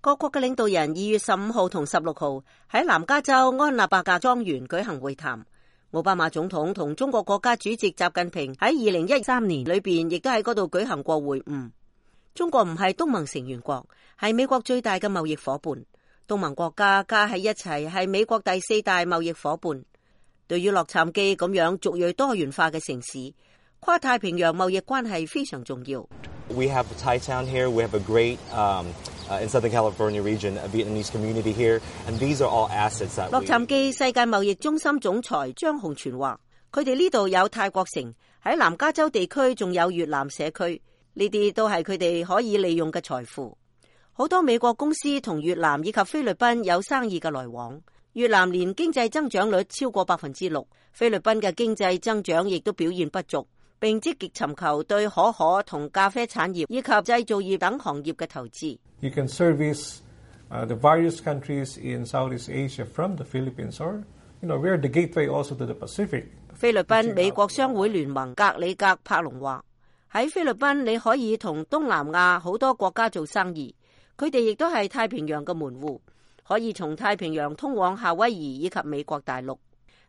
各國嘅領導人2月15號同16號喺南加州安納伯格莊園舉行會談。奧巴馬總統同中國國家主席習近平喺2013年裏邊亦都喺嗰度舉行過會晤。中國唔係東盟成員國，係美國最大嘅貿易夥伴。東盟國家加喺一齊係美國第4大貿易夥伴。對於洛杉磯咁樣族裔多元化嘅城市，跨太平洋貿易關係非常重要。We have Thai town here. We have a great in Southern California region, a Vietnamese community here, and these are all assets that. 洛杉磯世界貿易中心總裁張洪全話，佢哋呢度有泰國城，喺南加州地區仲有越南社區，呢啲都係佢哋可以利用嘅財富。好多美國公司同越南以及菲律賓有生意嘅來往。越南年經濟增長率超過6%，菲律賓嘅經濟增長亦都表現不俗，並積極尋求對可可同咖啡產業以及製造業等行業嘅投資。You can service the various countries in Southeast Asia from the Philippines, or we are the gateway also to the Pacific. 菲律賓美國商會聯盟格里格柏龍話：喺菲律賓你可以同東南亞好多國家做生意，佢哋亦都係太平洋嘅門戶。可以從太平洋通往夏威夷以及美國大陸。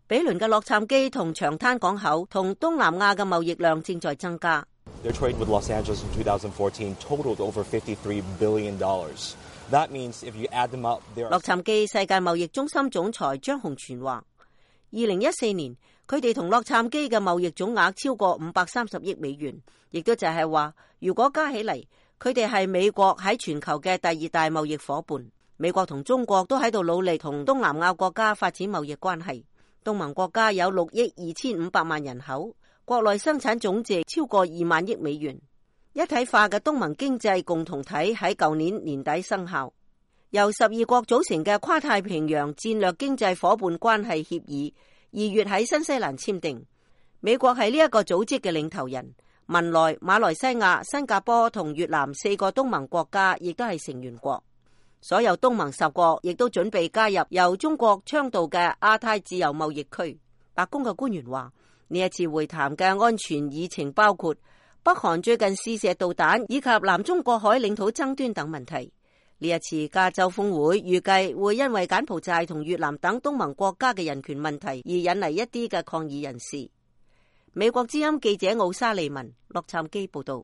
比鄰嘅洛杉磯同長灘港口同東南亞嘅貿易量正在增加。Their trade with Los Angeles in 2014 totaled over $53 billion. That means if you add them up, there are... 洛杉磯世界貿易中心總裁張洪全話，2014年佢哋同洛杉磯嘅貿易總額超過530億美元，亦都就係話，如果加起嚟，佢哋係美國喺全球嘅第2大貿易夥伴。美國同中國都喺度努力同東南亞國家發展貿易關係。東盟國家有6億2500萬人口，國內生產總值超過2萬億美元。一體化嘅東盟經濟共同體喺舊年年底生效，由12國組成嘅跨太平洋戰略經濟夥伴關係協議2月喺新西蘭簽訂。美國係呢一個組織嘅領頭人，文萊、馬來西亞、新加坡同越南4個東盟國家亦都係成員國。所有東盟10國亦都準備加入由中國倡導嘅亞太自由貿易區。白宮嘅官員話，呢一次會談嘅安全議程包括北韓最近試射導彈以及南中國海領土爭端等問題。呢一次加州峰會預計會因為柬埔寨同越南等東盟國家嘅人權問題而引嚟一啲嘅抗議人士。美國之音記者奧沙利文，洛杉磯報道。